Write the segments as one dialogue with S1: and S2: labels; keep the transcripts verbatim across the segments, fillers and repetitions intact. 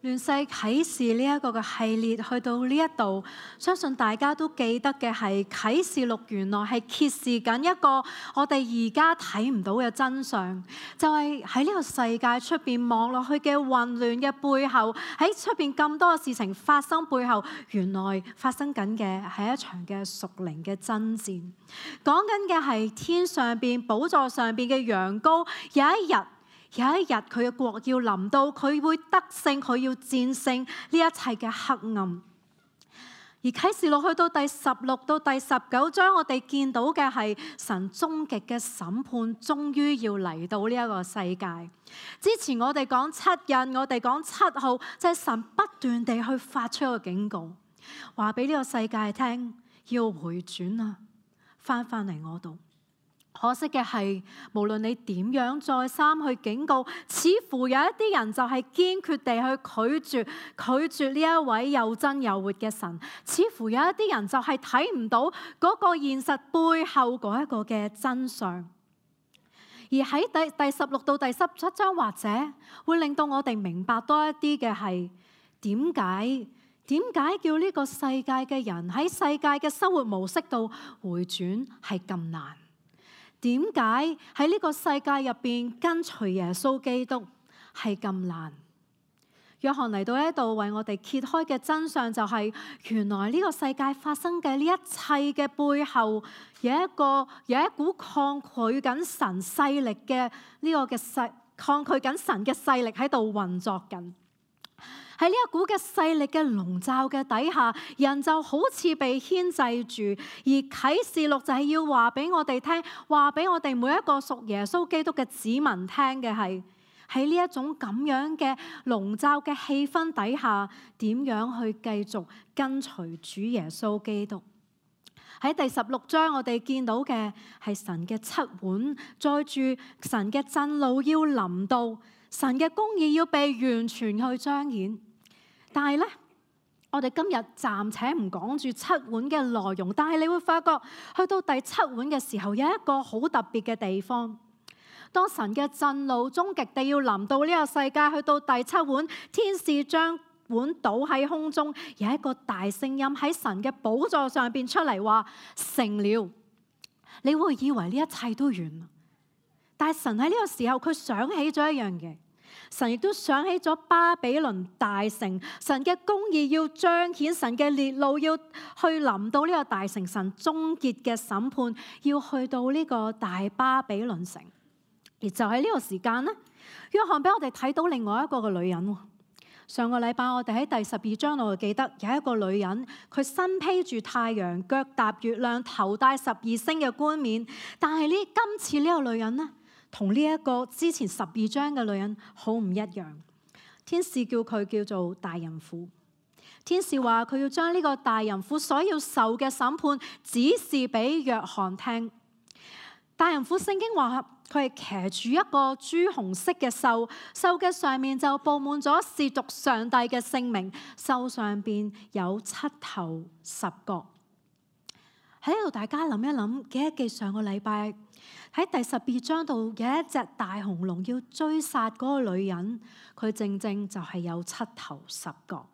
S1: 亂世啟示呢一個嘅系列去到呢一度，相信大家都記得嘅係啟示錄原來係揭示緊一個我哋而家睇唔到嘅真相，就係喺呢個世界出邊望落去嘅混亂嘅背後，喺出邊咁多嘅事情發生背後，原來發生緊嘅係一場嘅屬靈嘅爭戰，講緊嘅係天上邊寶座上邊嘅羊羔，有一日。有一日佢嘅國要臨到，佢會得勝，佢要戰勝呢一切嘅黑暗。而啟示錄去到第十六到第十九章，我哋見到嘅係神終極嘅審判，終於要嚟到呢一個世界。之前我哋講七印，我哋講七號，就係神不斷地去發出一個警告，話俾呢個世界聽，要回轉啊，翻返嚟我度。可惜嘅係，無論你點樣再三去警告，似乎有一啲人就係堅決地去拒絕拒絕呢一位又真又活嘅神。似乎有一啲人就係睇唔到嗰個現實背後嗰一個嘅真相。而喺第第十六到第十七章，或者會令到我哋明白多一啲嘅係點解點解叫呢個世界嘅人喺世界嘅生活模式度回轉係咁難？點解喺呢個世界入邊跟隨耶穌基督係咁難？約翰嚟到呢度為我哋揭開嘅真相就係，原來呢個世界發生嘅呢一切嘅背後，有一個有一股抗拒緊神勢力嘅呢個嘅勢，抗拒緊神嘅勢力喺度運作緊。喺呢一股嘅勢力嘅籠罩嘅底下，人就好似被牽制住。而啟示錄就係要話俾我哋聽，話俾我哋每一個屬耶穌基督嘅子民聽嘅係，喺呢一種咁樣嘅籠罩嘅氣氛底下，點樣去繼續跟隨主耶穌基督。喺第十六章，我哋見到嘅係神嘅七碗，載住神嘅震怒要臨到，神嘅公義要被完全去彰顯。但係咧，我哋今日暫且唔講住七碗嘅內容，但係你會發覺，去到第七碗嘅時候，有一個好特別嘅地方。當神嘅震怒終極地要臨到呢個世界，去到第七碗，天使將碗倒喺空中，有一個大聲音喺神嘅寶座上邊出嚟話成了。你會以為呢一切都完，但係神喺呢個時候，佢想起咗一樣嘢。神亦都想起咗巴比倫大城，神嘅公義要彰顯，神嘅烈怒要去臨到呢個大城，神終結嘅審判要去到呢個大巴比倫城。而就喺呢個時間呢，約翰俾我哋睇到另外一個嘅女人。上個禮拜我哋喺第十二章度記得有一個女人，佢身披住太陽，腳踏月亮，頭戴十二星嘅冠冕。但係呢，今次呢個女人呢，同呢一個之前十二章嘅女人好唔一樣。天使叫佢叫做大淫婦。天使話佢要將呢個大淫婦所要受嘅審判指示俾約翰聽。大淫婦聖經話佢係騎住一個朱紅色嘅獸，獸嘅上面就佈滿咗褻瀆上帝嘅聖名，獸上邊有七頭十角。喺呢度大家諗一諗，記得記上個禮拜喺第十二章度有一隻大紅龍要追殺嗰個女人，佢正正就係有七頭十角。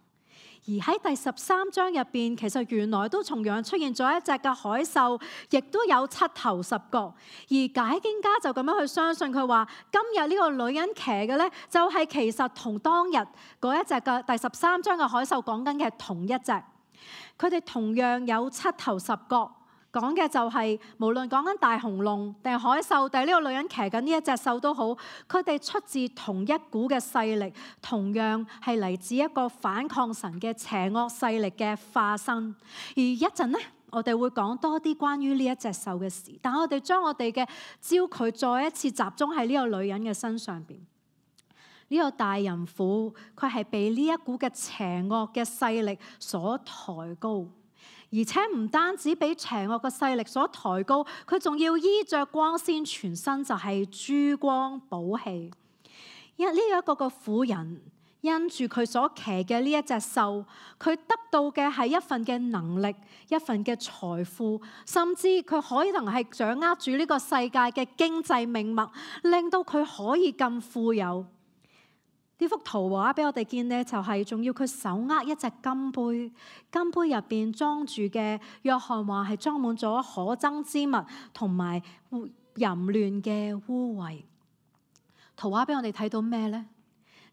S1: 而喺第十三章入邊，其實原來都同樣出現咗一隻嘅海獸，亦都有七頭十角。而解經家就咁樣去相信佢話，今日呢個女人騎嘅呢，就係其實同當日嗰一隻嘅第十三章嘅海獸講緊嘅同一隻。佢哋同樣有七頭十角。講嘅就係、是、無論講緊大紅龍定係海獸定係呢個女人騎緊呢一隻獸都好，佢哋出自同一股嘅勢力，同樣係嚟自一個反抗神嘅邪惡勢力嘅化身。而一陣呢，我哋會講多啲關於呢一隻獸嘅事，但我哋將我哋嘅焦距再一次集中喺呢個女人嘅身上邊。呢、這個大淫婦，佢係被呢一股嘅邪惡嘅勢力所抬高。而且唔單止俾邪惡嘅勢力所抬高，佢仲要衣着光鮮，全身就係珠光寶氣。因呢一個個婦人因住佢所騎嘅呢一隻獸，佢得到嘅係一份嘅能力，一份嘅財富，甚至佢可能係掌握住呢個世界嘅經濟命脈，令到佢可以咁富有。呢、呢幅圖畫俾我哋見呢，就係仲要佢手握一隻金杯，金杯入邊裝住嘅，約翰話係裝滿咗可憎之物同埋淫亂嘅污穢。圖畫俾我哋睇到咩呢？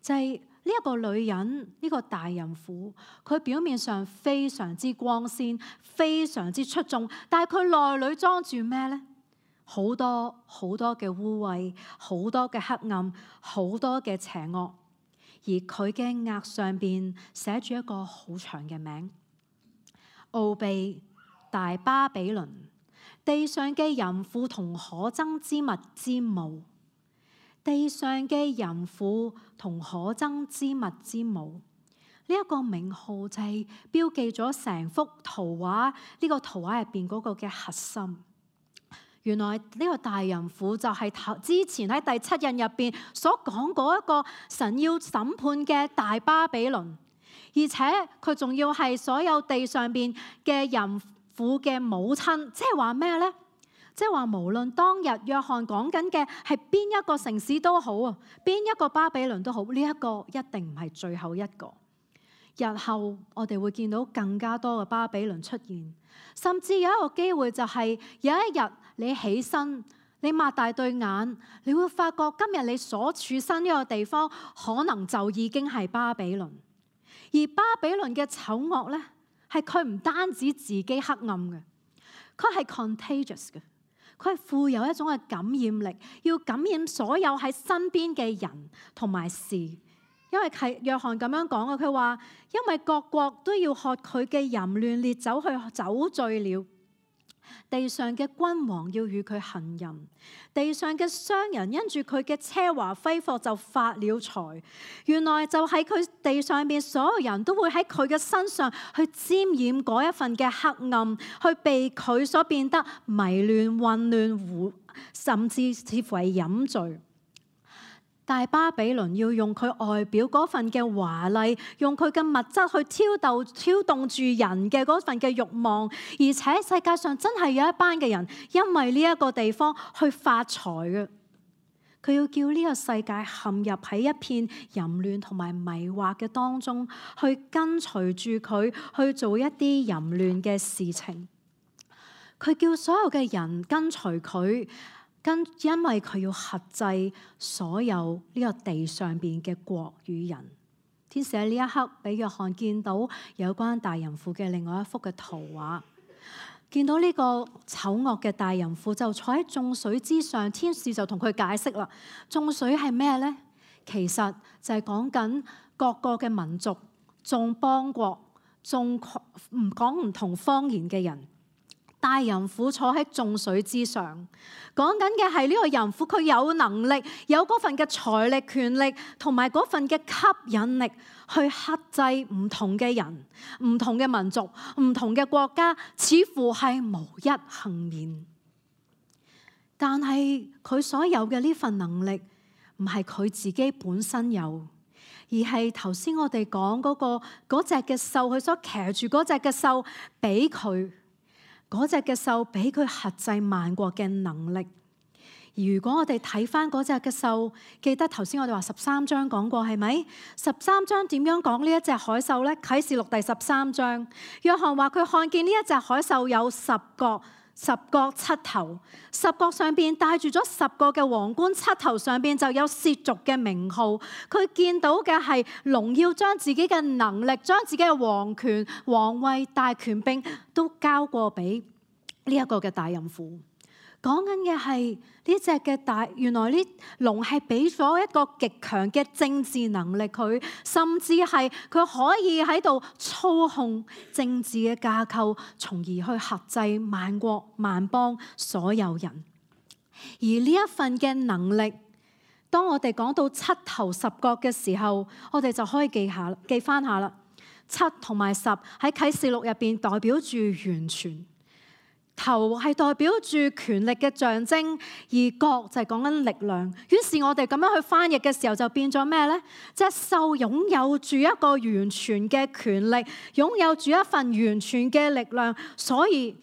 S1: 就係呢一個女人，呢、這個大淫婦，佢表面上非常之光鮮，非常之出眾，但係佢內裏裝住咩呢？好多好多嘅污穢，好多嘅黑暗，好多嘅邪惡。而佢嘅額上邊寫住一個好長嘅名：奧秘大巴比倫，地上嘅淫婦同可憎之物之母。地上嘅淫婦同可憎之物之母，呢一個名號就係標記咗成幅圖畫，呢個圖畫入邊嗰個嘅核心。原來呢個大淫婦就係之前喺第七印入邊所講嗰一個神要審判嘅大巴比倫，而且佢仲要係所有地上邊嘅淫婦嘅母親，即係話咩呢？即係話無論當日約翰講緊嘅係邊一個城市都好啊，邊一個巴比倫都好，呢一個一定唔係最後一個。日後我哋會見到更加多嘅巴比倫出現，甚至有一個機會就係有一日你起身，你擘大對眼，你會發覺今日你所處身呢個地方可能就已經係巴比倫。而巴比倫嘅醜惡呢，係佢唔單止自己黑暗嘅，佢係 contagious 嘅。佢係富有一種嘅感染力，要感染所有喺身邊嘅人同埋事。因為係約翰咁樣講嘅，佢話因為各國都要喝佢嘅淫亂烈酒去酒醉了，地上嘅君王要與佢行淫，地上嘅商人因住佢嘅奢華揮霍就發了財。原來就喺佢地上邊所有人都會喺佢嘅身上去沾染嗰一份嘅黑暗，去被佢所變得迷亂混亂，甚至似乎係飲醉。大巴比倫要用佢外表嗰份嘅華麗，用佢嘅物質去挑逗、挑動住人嘅嗰份嘅慾望，而且世界上真係有一班嘅人因為呢一個地方去發財嘅。佢要叫呢個世界陷入喺一片淫亂同埋迷惑嘅當中，去跟隨住佢去做一啲淫亂嘅事情。佢叫所有嘅人跟隨佢。跟因為佢要轄制所有呢個地上邊嘅國與人。天使喺呢一刻俾約翰見到有關大淫婦嘅另外一幅嘅圖畫，見到呢個醜惡嘅大淫婦就坐喺眾水之上，天使就同佢解釋啦。眾水係咩呢？其實就係講緊各個嘅民族、眾邦國、眾唔講唔同方言嘅人。大淫婦坐喺眾水之上，講緊嘅係呢個淫婦，佢有能力，有嗰份嘅財力、權力，同埋嗰份嘅吸引力，去克制唔同嘅人、唔同嘅民族、唔同嘅國家，似乎係無一幸免。但係佢所有嘅呢份能力，唔係佢自己本身有，而係頭先我哋講嗰個嗰隻嘅獸，佢所騎住嗰隻嘅獸俾佢。嗰隻嘅獸俾佢轄制萬國嘅能力。如果我哋睇翻嗰隻嘅獸，記得頭先我哋話十三章講過係咪？十三章點樣講呢一隻海獸呢？啟示錄第十三章，約翰話佢看見呢一隻海獸有十角、十角七頭，十角上邊帶住咗十個嘅皇冠，七頭上邊就有褻瀆嘅名號。佢見到嘅係龍要將自己嘅能力、將自己嘅皇權、皇位、大權柄都交過俾呢一個嘅大淫婦。講緊嘅係呢隻嘅大，原來呢龍係俾咗一個極強嘅政治能力佢，甚至係佢可以喺度操控政治嘅架構，從而去轄制萬國萬邦所有人。而呢一份嘅能力，當我哋講到七頭十角嘅時候，我哋就可以記下記翻下啦。七同埋十喺啟示錄入邊代表住完全。頭係代表住權力嘅象徵，而角就係講緊力量。於是我哋咁樣去翻譯嘅時候，就變咗咩呢？隻獸擁有住一個完全嘅權力，擁有住一份完全嘅力量，所以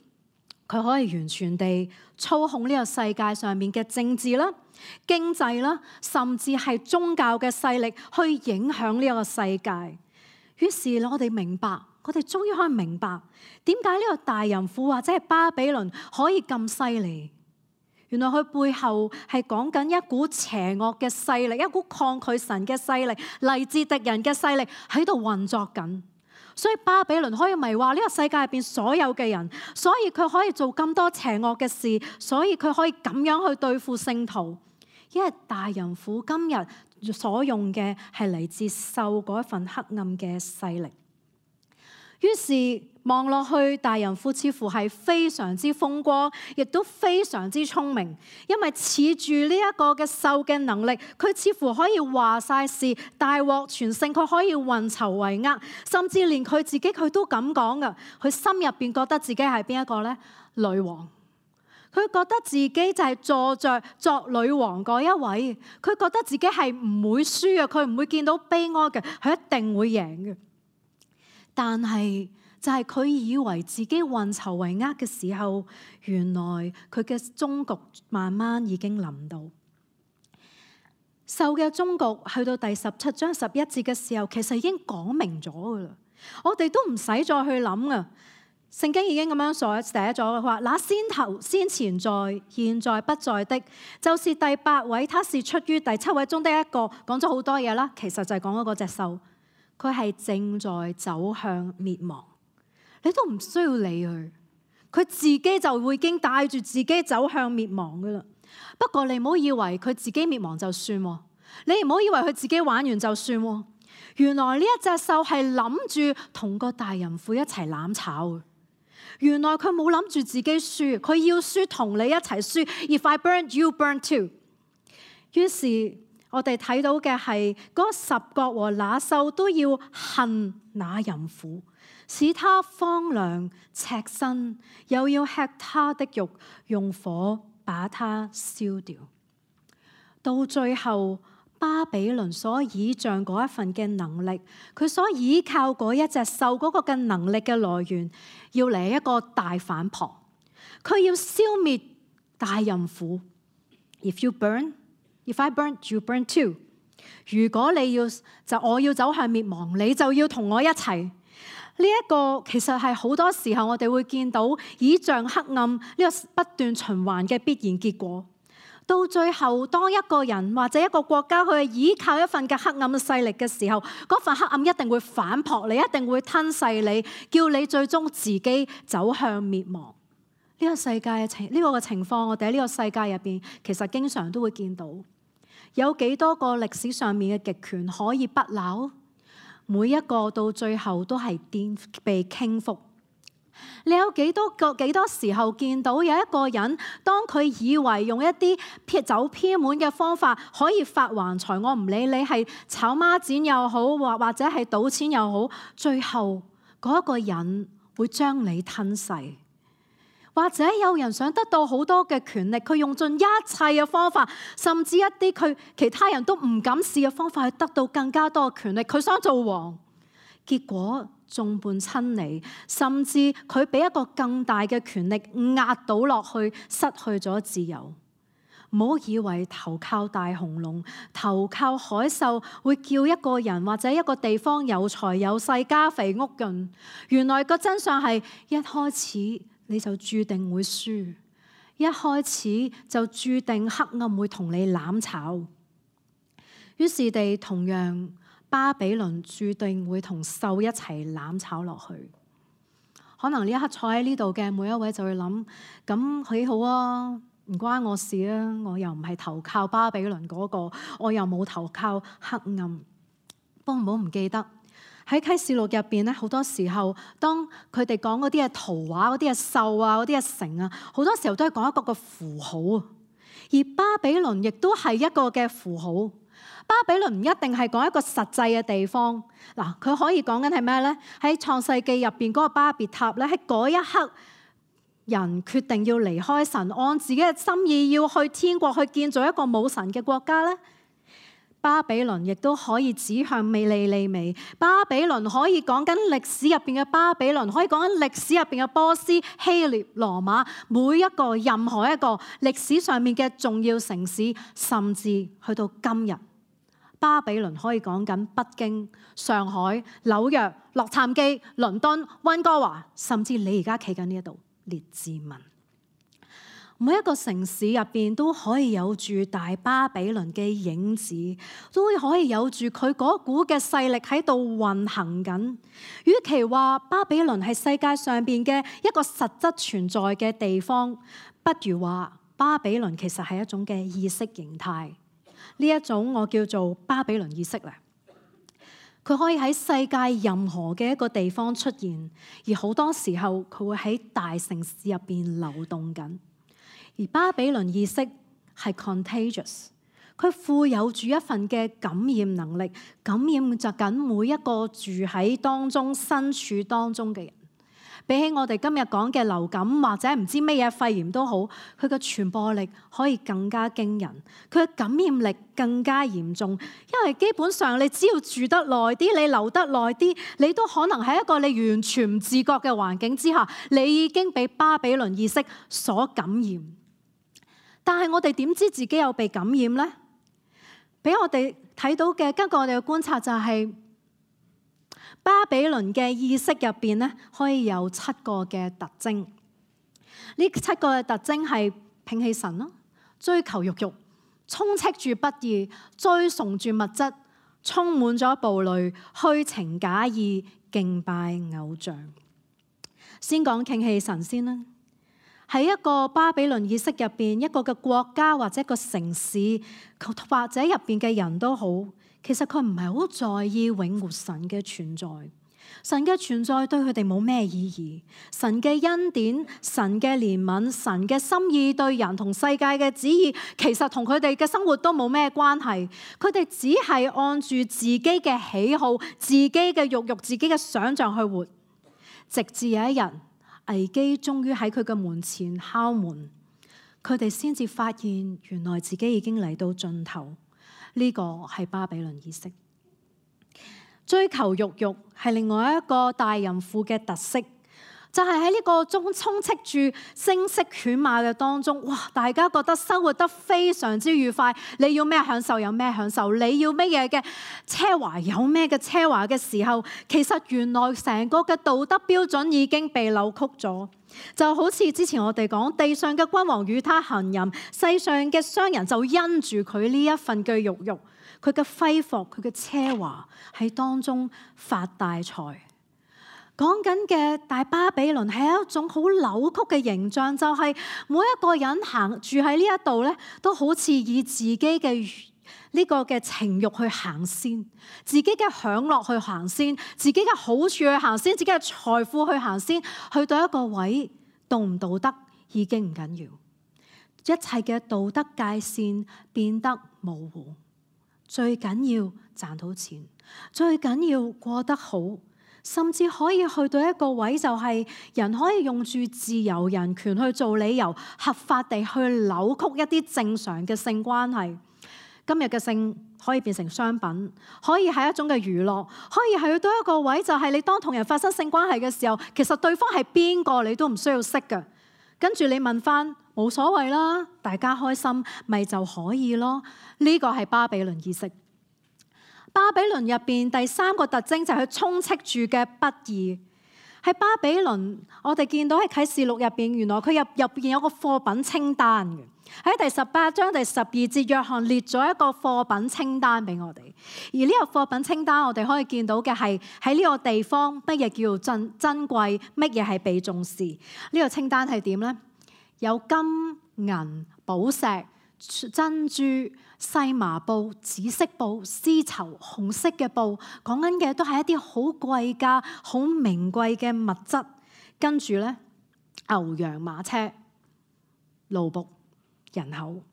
S1: 佢可以完全地操控呢個世界上面嘅政治啦、經濟啦，甚至係宗教嘅勢力去影響呢個世界。於是我哋明白，我哋終於可以明白點解呢個大淫婦或者係巴比倫可以咁犀利。原來佢背後係講緊一股邪惡嘅勢力，一股抗拒神嘅勢力，嚟自敵人嘅勢力喺度運作緊。所以巴比倫可以迷惑呢個世界入邊所有嘅人，所以佢可以做咁多邪惡嘅事，所以佢可以咁樣去對付聖徒。因為大淫婦今日所用嘅係嚟自獸嗰一份黑暗嘅勢力。於是望落去，大淫婦似乎係非常之風光，亦都非常之聰明，因為恃住呢一個嘅獸嘅能力，佢似乎可以話晒事，大獲全勝，佢可以運籌帷幄，甚至連佢自己佢都咁講噶。佢心入邊覺得自己係邊一個呢？女王。佢覺得自己就係坐着作女王嗰一位，佢覺得自己係唔會輸嘅，佢唔會見到悲哀嘅，佢一定會贏嘅。但係就係佢以為自己運籌帷幄嘅時候，原來佢嘅終局慢慢已經臨到。獸嘅終局去到第十七章十一節嘅時候，其實已經講明咗噶啦，我哋都唔使再去諗啊。聖經已經咁樣所寫咗，佢話那先頭先前在，現在不在的，就是第八位，他是出於第七位中的一個。講咗好多嘢啦，其實就係講嗰隻獸。佢係正在走向滅亡，你都唔需要理佢，佢自己就會已經帶住自己走向滅亡噶啦。不過你唔好以為佢自己滅亡就算，你唔好以為佢自己玩完就算。原來呢一隻獸係諗住同個大淫婦一齊攬炒。原來佢冇諗住自己輸，佢要輸同你一齊輸。If I burn, you burn too。於是我哋睇到嘅係嗰十國和那獸都要恨那淫婦，使他荒涼赤身，又要吃他的肉，用火把他燒掉。到最後，巴比倫所倚仗嗰一份嘅能力，佢所倚靠嗰一隻獸嗰個嘅能力嘅來源，要嚟一個大反撲，佢要消滅大淫婦。If you burn, if I burn, you burn too。如果你要就我要走向滅亡，你就要同我一齊。呢、這、一個其實係好多時候我哋會見到倚仗黑暗呢個不斷循環嘅必然結果。到最後，當一個人或者一個國家去依靠一份嘅黑暗嘅勢力嘅時候，嗰份黑暗一定會反撲你，一定會吞噬你，叫你最終自己走向滅亡。呢、這個世界嘅情呢個嘅情況，我哋喺呢個世界入邊，其實經常都會見到。有幾多個歷史上面嘅極權可以不朽？每一個到最後都係顛被傾覆。你有幾多個幾多時候見到有一個人，當佢以為用一啲撇走偏門嘅方法可以發橫財，我唔理你係炒孖展又好，或或者係賭錢又好，最後嗰一個人會將你吞噬。或者有人想得到好多嘅權力，佢用盡一切嘅方法，甚至一啲佢其他人都唔敢試嘅方法，去得到更加多嘅權力。佢想做王，結果眾叛親離，甚至佢俾一個更大嘅權力壓倒落去，失去咗自由。唔好以為投靠大雄龍、投靠海獸會叫一個人或者一個地方有財有勢、家肥屋潤。原來個真相係一開始你就注定會輸，一開始就注定黑暗會同你攬炒。於是地同樣，巴比倫注定會同獸一齊攬炒落去。可能呢一刻坐喺呢度嘅每一位就會諗：咁幾好啊，唔關我事啊，我又唔係投靠巴比倫嗰個，我又冇投靠黑暗。不過唔好唔記得喺啟示錄入邊咧，好多時候當佢哋講嗰啲嘅圖畫、嗰啲嘅獸啊、嗰啲嘅城啊，好多時候都係講一個個符號啊。而巴比倫亦都係一個嘅符號。巴比倫唔一定係講一個實際嘅地方，嗱，佢可以講緊係咩呢？喺創世記入邊嗰個巴別塔咧，喺嗰一刻，人決定要離開神，按自己嘅心意要去天國去建造一個冇神嘅國家咧。巴比倫亦都可以指向尼尼微，巴比倫可以講緊歷史入邊嘅巴比倫，可以講緊歷史入邊嘅波斯、希臘、羅馬，每一個任何一個歷史上面嘅重要城市，甚至去到今日，巴比倫可以講緊北京、上海、紐約、洛杉磯、倫敦、溫哥華，甚至你而家企緊呢一度列治文。每一個城市入邊都可以有住大巴比倫嘅影子，都可以有住佢嗰股嘅勢力喺度運行緊。與其話巴比倫係世界上邊嘅一個實質存在嘅地方，不如話巴比倫其實係一種嘅意識形態。呢一種我叫做巴比倫意識咧，佢可以喺世界任何嘅一個地方出現，而好多時候佢會喺大城市入邊流動緊。而巴比倫意識係 contagious， 佢富有住一份嘅感染能力，感染着緊每一個住喺當中、身處當中嘅人。比起我哋今日講嘅流感或者唔知乜嘢肺炎都好，佢嘅傳播力可以更加驚人，佢嘅感染力更加嚴重。因為基本上你只要住得耐啲，你留得耐啲，你都可能喺一個你完全唔自覺嘅環境之下，你已經被巴比倫意識所感染。但係我哋點知自己有被感染呢？俾我哋睇到嘅，根據我哋嘅觀察就係巴比倫嘅意識入邊咧，可以有七個嘅特徵。呢七個嘅特徵係摒棄神咯，追求肉慾，充斥住不義，追崇住物質，充滿咗暴戾，虛情假意，敬拜偶像。先講摒棄神先啦。喺一個巴比倫意識入邊，一個嘅國家或者一個城市，或者入邊嘅人都好，其實佢唔係好在意永活神嘅存在。神嘅存在對佢哋冇咩意義。神嘅恩典、神嘅憐憫、神嘅心意對人同世界嘅旨意，其實同佢哋嘅生活都冇咩關係。佢哋只係按住自己嘅喜好、自己嘅慾慾、自己嘅想像去活，直至有一日，危機終於喺佢嘅門前敲門，佢哋先至發現原來自己已經嚟到盡頭。呢個係巴比倫意識。追求肉慾係另外一個大淫婦嘅特色，就係喺呢個中充斥住聲色犬馬嘅當中，哇！大家覺得生活得非常之愉快，你要咩享受有咩享受，你要咩嘢嘅奢華有咩嘅奢華嘅時候，其實原來成個嘅道德標準已經被扭曲咗。就好似之前我哋講，地上嘅君王與他行淫，世上嘅商人就因住佢呢一份嘅肉慾，佢嘅揮霍，佢嘅奢華喺當中發大財。講緊嘅大巴比倫係一種好扭曲嘅形象，就係每一個人行住喺呢一度咧，都好似以自己嘅呢個嘅情慾去行先，自己嘅享樂去行先，自己嘅好處去行先，自己嘅財富去行先，去到一個位，道唔道德已經唔緊要，一切嘅道德界線變得模糊，最緊要賺到錢，最緊要過得好。甚至可以去到一個位，就係人可以用住自由人權去做理由，合法地去扭曲一啲正常嘅性關係。今日嘅性可以變成商品，可以係一種嘅娛樂，可以去到一個位，就係你當同人發生性關係嘅時候，其實對方係邊個你都唔需要識㗎。跟住你問翻，冇所謂啦，大家開心咪就可以咯。呢個係巴比倫意識。巴比倫入邊第三個特徵就係佢充斥住嘅不義。喺巴比倫，我哋見到喺啟示錄入邊，原來佢入入邊有個貨品清單嘅。喺第十八章第十二節，約翰列咗一個貨品清單俾我哋。而呢個貨品清單，我哋可以見到嘅係喺呢個地方乜嘢叫珍珍貴，乜嘢係被重視。呢、這個清單係點呢？有金銀寶石、珍珠、細麻布、紫色布、絲綢、紅色嘅布，講緊嘅都係一啲好貴價、好名貴嘅物質。跟住咧，牛羊馬車、奴僕、人口。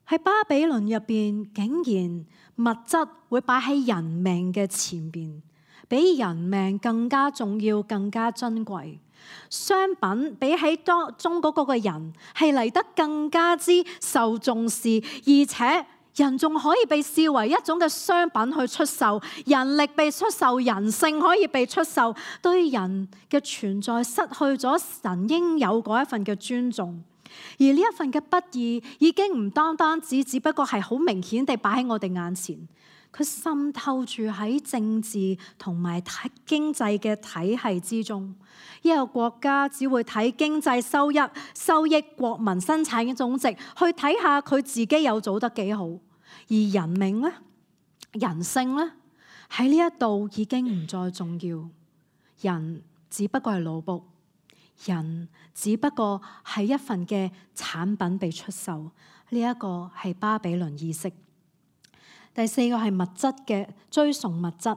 S1: 喺巴比倫入邊，竟然物質會擺喺人命嘅前邊，比人命更加重要、更加珍貴。商品比起當中嗰個嘅人係嚟得更加之受重視，而且人仲可以被視為一種嘅商品去出售，人力被出售，人性可以被出售，對人嘅存在失去咗神應有嗰一份嘅尊重。而呢一份嘅不義已經唔單單只只不過係好明顯地擺喺我哋眼前，佢滲透住喺政治同埋睇經濟嘅體系之中。一個國家只會睇經濟收益、收益、國民生產嘅總值，去睇下佢自己有做得幾好。而人命咧、人性咧，喺呢一度已經唔再重要。人只不過係奴僕，人只不過係一份嘅產品被出售。呢一個係巴比倫意識。第四個係物質嘅追崇物質。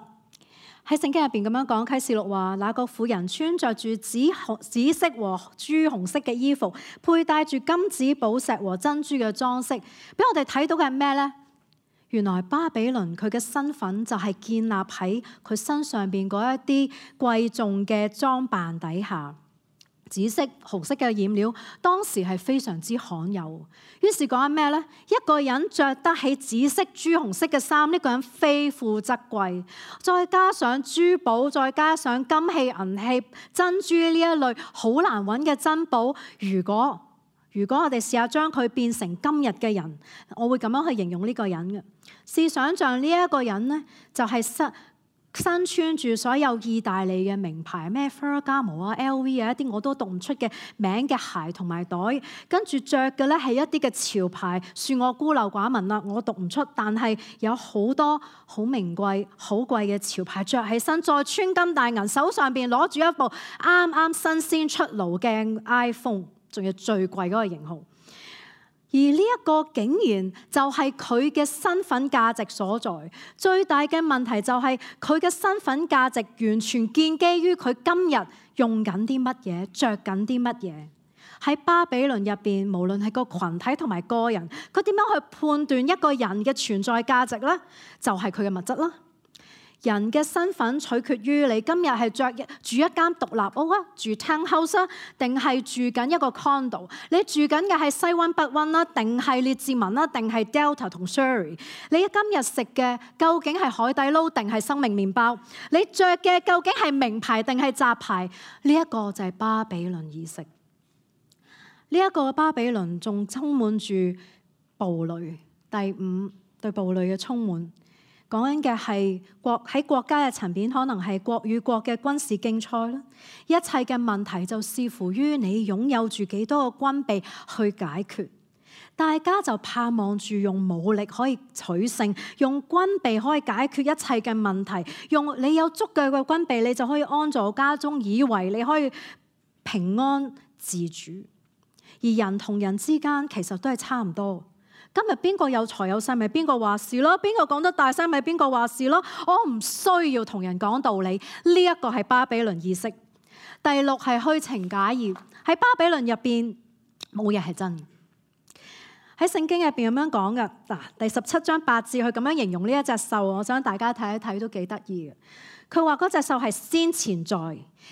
S1: 喺聖經入邊咁樣講，啟示錄話，那個婦人穿着住紫紅、紫色和朱紅色嘅衣服，佩戴住金子、寶石和珍珠嘅裝飾。俾我哋睇到嘅係咩呢？原來巴比倫佢嘅身份就係建立喺佢身上邊嗰一啲貴重嘅裝扮底下。紫色、紅色嘅染料當時係非常之罕有。於是講緊咩呢？一個人着得起紫色、朱紅色嘅衫，呢個人非富則貴。再加上珠寶，再加上金器、銀器、珍珠呢一類好難揾嘅珍寶。如果如果我哋試下將佢變成今日嘅人，我會咁樣去形容呢個人嘅。試想像呢一個人呢，就係身身穿住所有意大利嘅名牌，咩 Ferragamo 啊、L V 啊，一啲我都讀唔出嘅名嘅鞋同埋袋，跟住着嘅咧係一啲嘅潮牌，恕我孤陋寡聞啦，我讀唔出，但係有好多好名貴、好貴嘅潮牌着起身，再穿金戴銀，手上邊攞住一部啱啱新鮮出爐嘅 iPhone， 仲要最貴嗰個型號。而呢一個竟然就係佢嘅身份價值所在。最大嘅問題就係佢嘅身份價值完全建基於佢今日用緊啲乜嘢、着緊啲乜嘢。喺巴比倫入邊，無論係個群體同埋個人，佢點樣去判斷一個人嘅存在價值呢？就係佢嘅物質啦。人嘅身份取決於你今日係着住一間獨立屋啊，住 townhouse 啊，定係住緊一個 condo？你住緊嘅係西灣北灣啦，定係列治文啦，定係 Delta 同 Surrey？你今日食嘅究竟係海底撈定係生命麵包？你着嘅究竟係名牌定係雜牌？呢一個就係巴比倫意識。呢一個巴比倫仲充滿住暴戾。第五，對暴戾嘅充滿。講緊嘅係國喺國家嘅層面，可能係國與國嘅軍事競賽啦。一切嘅問題就視乎於你擁有住幾多個軍備去解決。大家就盼望住用武力可以取勝，用軍備可以解決一切嘅問題。用你有足夠嘅軍備，你就可以安坐家中，以為你可以平安自主。而人同人之間其實都係差唔多。今日邊個有財有勢，咪邊個話事咯？邊個講得大聲，咪邊個話事咯？我唔需要同人講道理，呢一個係巴比倫意識。第六係虛情假意。喺巴比倫入邊冇嘢係真嘅。喺聖經入邊咁樣講嘅嗱，第十七章八節，佢咁樣形容呢一隻獸，我想大家睇一睇都幾得意嘅。佢話嗰隻獸係先前在，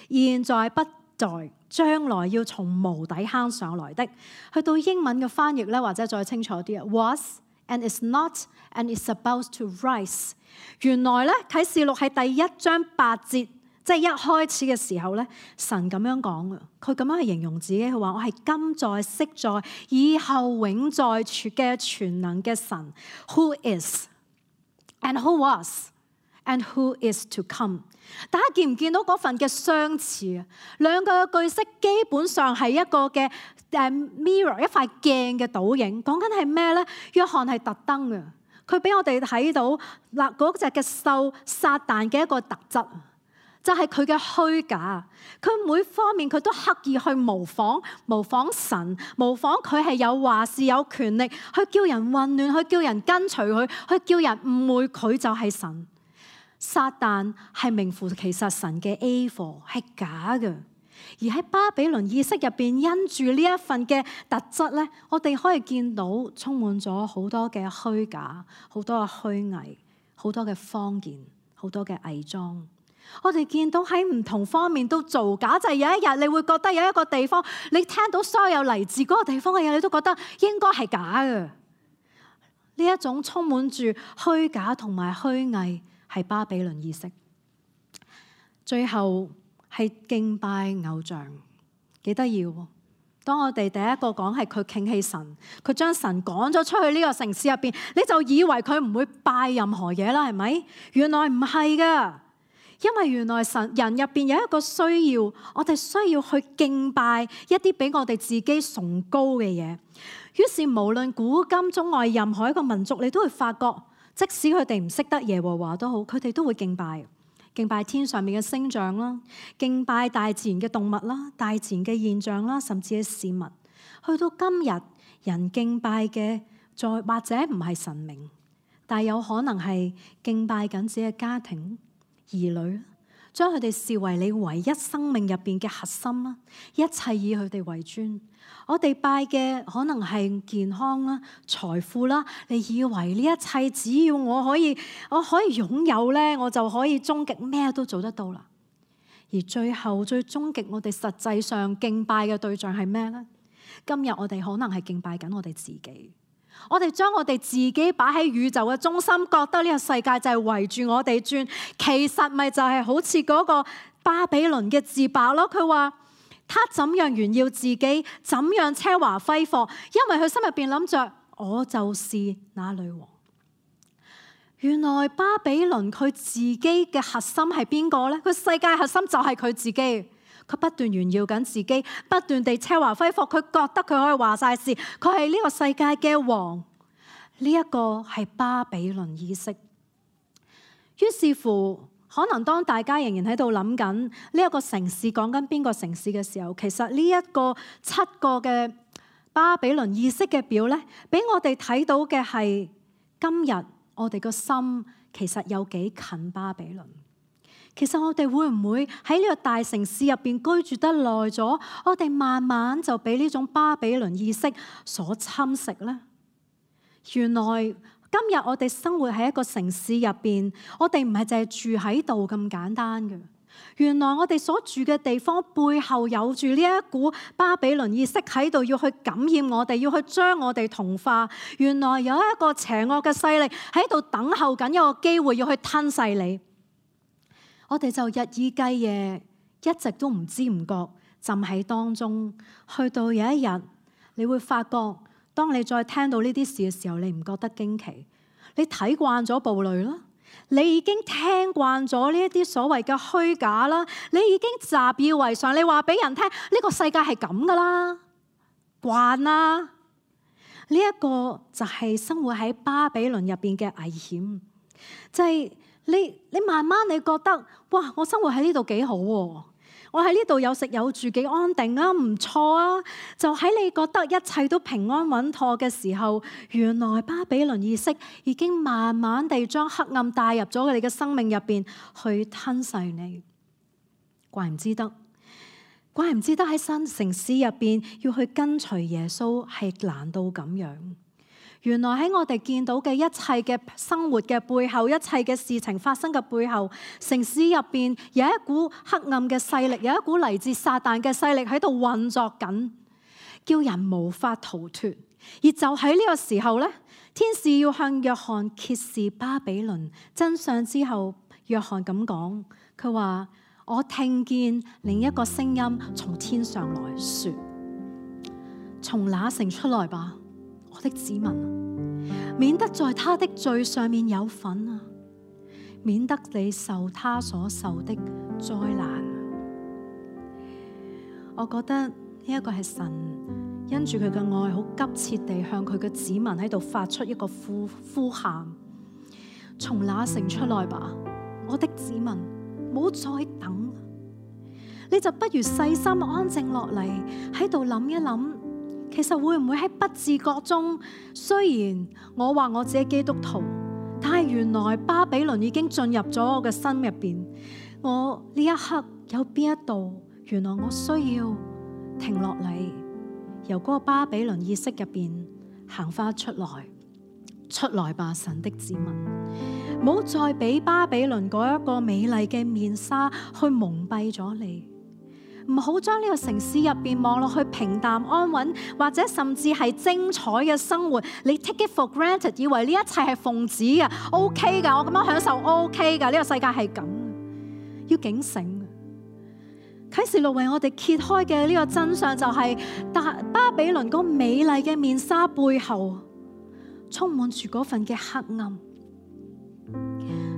S1: 現在不在，將來要從無底坑上來的。去到英文嘅翻譯咧，或者再清楚啲啊 ，was and is not and is about to rise。原來咧啟示錄喺第一章八節，即係一開始嘅時候咧，神咁樣講嘅，佢咁樣去形容自己，佢話我係今在、昔在、以後永在嘅全能嘅神 ，Who is and who was and who is to come。大家見唔見到嗰份嘅相似啊？兩個嘅句式基本上係一個嘅誒 mirror， 一塊鏡嘅倒影。講緊係咩咧？約翰係特登嘅，佢俾我哋睇到嗱嗰隻嘅獸撒旦嘅一個特質，就係佢嘅虛假。佢每方面佢都刻意去模仿，模仿神，模仿佢係有話事有權力，去叫人混亂，去叫人跟隨佢，去叫人誤會佢就係神。撒旦係名副其實神嘅 A 貨，係假嘅。而喺巴比倫意識入邊，因住呢一份嘅特質咧，我哋可以見到充滿咗好多嘅虛假，好多嘅虛偽，好多嘅謊言，好多嘅偽裝。我哋見到喺唔同方面都造假，就係有一日你會覺得有一個地方，你聽到所有嚟自嗰個地方嘅嘢，你都覺得應該係假嘅。呢一種充滿住虛假同埋虛偽，係巴比倫意識。最後係敬拜偶像，幾得意喎！當我哋第一個講係佢傾棄神，佢將神趕咗出去呢個城市入邊，你就以為佢唔會拜任何嘢啦，係咪？原來唔係噶，因為原來神人入邊有一個需要，我哋需要去敬拜一啲比我哋自己崇高嘅嘢。於是無論古今中外任何一個民族，你都會發覺，即使佢哋唔識得耶和華都好，佢哋都會敬拜。敬拜天上面嘅星象啦，敬拜大自然嘅動物啦，大自然嘅現象啦，甚至係事物。去到今日，人敬拜嘅再或者唔係神明，但有可能係敬拜緊自己嘅家庭、兒女，將佢哋視為你唯一生命入邊嘅核心啦，一切以佢哋為尊。我哋拜嘅可能係健康啦、財富啦，你以為呢一切只要我可以，我可以擁有咧，我就可以終極咩都做得到啦。而最後最終極，我哋實際上敬拜嘅對象係咩咧？今日我哋可能係敬拜緊我哋自己，我哋將我哋自己擺喺宇宙嘅中心，覺得呢個世界就係圍住我哋轉，其實咪就係好似嗰個巴比倫嘅自白咯。佢話，他怎樣炫耀自己，怎樣奢華揮霍，因為佢心入邊諗着我就是那女王。原來巴比倫佢自己嘅核心係邊個呢？佢世界核心就係佢自己，佢不斷炫耀緊自己，不斷地奢華揮霍，佢覺得佢可以話晒事，佢係呢個世界嘅王。呢一個係巴比倫意識。於是乎，可能當大家仍然喺度諗緊呢一個城市講緊邊個城市嘅時候，其實呢一個七個嘅巴比倫意識嘅表咧，俾我哋睇到嘅係今日我哋個心其實有幾近巴比倫。其實我哋會唔會喺呢個大城市入邊居住得耐咗，我哋慢慢就俾呢種巴比倫意識所侵蝕呢？原來今日我哋生活喺一個城市入邊，我哋唔係淨係住喺度咁簡單嘅。原來我哋所住嘅地方背後有住呢一股巴比倫意識喺度，要去感染我哋，要去將我哋同化。原來有一個邪惡嘅勢力喺度等候緊一個機會，要去吞噬你。我哋就日以繼夜，一直都唔知唔覺浸喺當中。去到有一日，你會發覺，當你再聽到呢啲事嘅時候，你唔覺得驚奇？你睇慣咗暴戾啦，你已經聽慣咗呢一啲所謂嘅虛假啦，你已經習以為常。你話俾人聽，呢個世界係咁噶啦，慣啦。呢一個就係生活喺巴比倫入邊嘅危險，就係你你慢慢你覺得，哇！我生活喺呢度幾好喎。我喺呢度有食有住，幾安定啊，唔錯啊！就喺你覺得一切都平安穩妥嘅時候，原來巴比倫意識已經慢慢地將黑暗帶入咗你嘅生命入邊，去吞噬你。怪唔知得，怪唔知得喺新城市入邊要去跟隨耶穌係難到咁樣。原來喺我哋見到嘅一切嘅生活嘅背後，一切嘅事情發生嘅背後，城市入邊有一股黑暗嘅勢力，有一股嚟自撒旦嘅勢力喺度運作緊，叫人無法逃脫。而就喺呢個時候咧，天使要向約翰揭示巴比倫真相之後，約翰咁講，佢話：我聽見另一個聲音從天上來說，從那城出來吧，我的子民，免得在他的罪上面有份啊，免得你受他所受的災難。我覺得呢一個係神因住佢嘅愛，好急切地向佢嘅子民喺度發出一個呼呼喊：從那城出來吧，我的子民，唔好再等，你就不如細心安靜落嚟，喺度諗一諗。其實會唔會喺不自覺中，雖然我話我自己基督徒，但係原來巴比倫已經進入咗我嘅心入邊。我呢一刻有邊一度，原來我需要停落嚟，由嗰個巴比倫意識入邊行翻出來。出來吧，神的子民，唔好再俾巴比倫嗰一個美麗嘅面紗去蒙蔽咗你。唔好將呢個城市入邊望落去平淡安穩，或者甚至係精彩嘅生活，你 take it for granted， 以為呢一切係奉旨嘅 ，OK 㗎，我咁樣享受 OK 㗎，呢個世界係咁，要警醒。啟示錄為我哋揭開嘅呢個真相就係、是，但巴比倫嗰美麗嘅面紗背後，充滿住嗰份嘅黑暗。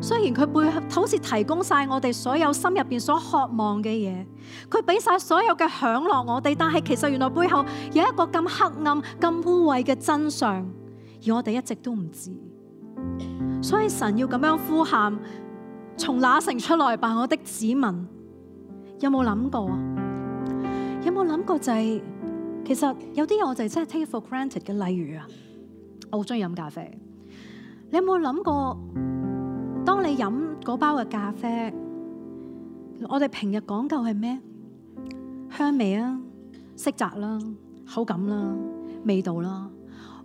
S1: 雖然佢背後好似提供晒我哋所有心入邊所渴望嘅嘢，佢俾晒所有嘅享樂我哋，但係其實原來背後有一個咁黑暗、咁污穢嘅真相，而我哋一直都唔知。所以神要咁樣呼喊：從那城出來吧，我的子民。有冇諗過啊？有冇諗過就係、是，其實有啲嘢我就真係 take it for granted 嘅，例如啊，我好中意飲咖啡。你有冇諗過？當你飲嗰包嘅咖啡，我哋平日講究係咩？香味啊、色澤啦、口感啦、味道啦。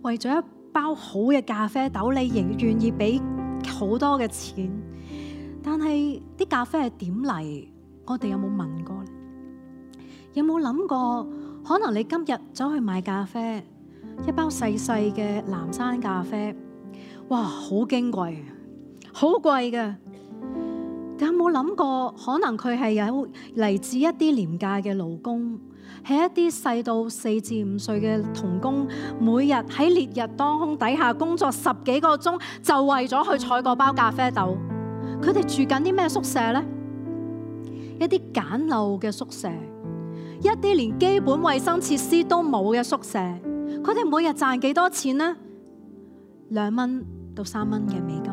S1: 為咗一包好嘅咖啡豆，你仍願意俾好多嘅錢。但係啲咖啡係點嚟？我哋有冇問過呢？有冇諗過？可能你今日走去買咖啡，一包細細嘅藍山咖啡，哇，好矜貴。好貴嘅，但有冇諗過？可能佢係有嚟自一啲廉價嘅勞工，係一啲細到四至五歲嘅童工，每日喺烈日當空底下工作十幾個鐘，就為咗去採嗰包咖啡豆。佢哋住緊啲咩宿舍呢？一啲簡陋嘅宿舍，一啲連基本衛生設施都冇嘅宿舍。佢哋每日賺幾多錢呢？兩蚊到三蚊嘅美金。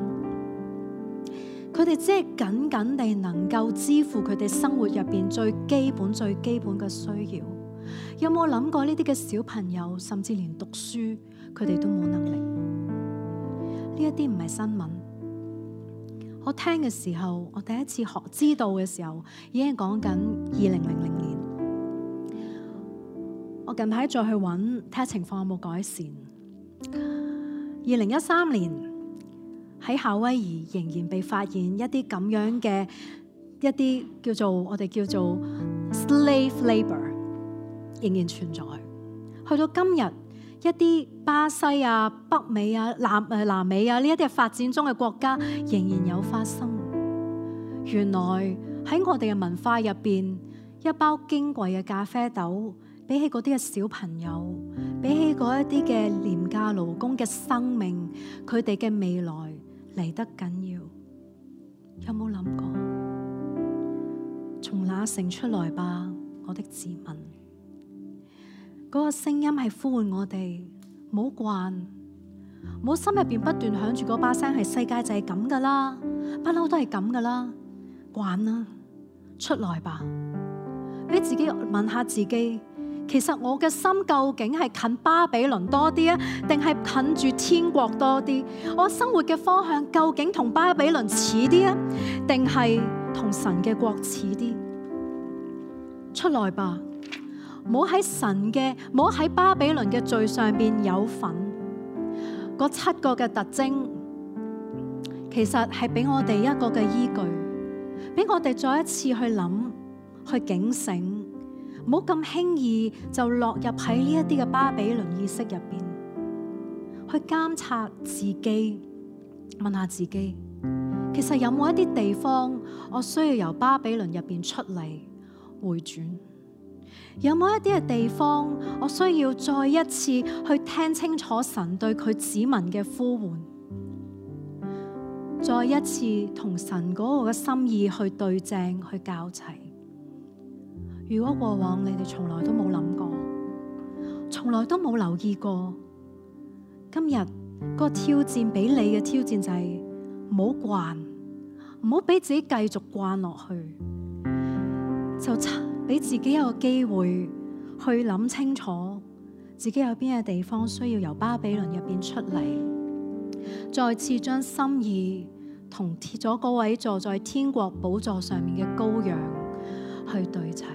S1: 佢哋只係僅僅地能夠支付佢哋生活入邊最基本、最基本嘅需要。有冇諗過呢啲嘅小朋友，甚至連讀書，佢哋都冇能力？呢一啲唔係新聞。我聽嘅時候，我第一次學知道嘅時候，已經講緊二零零零年。我近排再去揾睇下情況有冇改善。二零一三年。喺夏威夷仍然被發現一啲咁樣嘅一啲叫做我哋叫做 slave labor 仍然存在。去到今日，一啲巴西啊、北美啊、南誒南美啊呢一啲發展中嘅國家仍然有發生。原來喺我哋嘅文化入邊，一包矜貴嘅咖啡豆，比起嗰啲嘅小朋友，比起嗰一啲嘅廉價勞工嘅生命，佢哋嘅未來嚟得緊要。有冇諗過？從那城出來吧，我的子民。嗰個聲音係呼喚我哋，唔好慣，唔好心入邊不斷響住嗰把聲，係世界就係咁噶啦，不嬲都係咁噶啦，慣啦，出來吧。俾自己問下自己，其實我嘅心究竟係近巴比倫多啲啊，定係近住天國多啲？我生活嘅方向究竟同巴比倫似啲啊，定係同神嘅國似啲？出來吧，唔好喺神嘅，唔好喺巴比倫嘅罪上邊有份。嗰七個嘅特徵，其實係俾我哋一個嘅依據，俾我哋再一次去諗，去警醒。唔好咁輕易就落入喺呢一啲嘅巴比倫意識入邊，去監察自己，問下自己，其實有冇一啲地方我需要由巴比倫入邊出嚟回轉？有冇一啲嘅地方我需要再一次去聽清楚神對佢子民嘅呼喚，再一次同神嗰個嘅心意去對正，去校齊？如果過往你哋從來都冇諗過，從來都冇留意過，今日個挑戰俾你嘅挑戰就係唔好慣，唔好俾自己繼續慣落去，就俾自己有個機會去諗清楚自己有邊嘅地方需要由巴比倫入邊出嚟，再次將心意同貼咗嗰位坐在天國寶座上面嘅羔羊去對齊。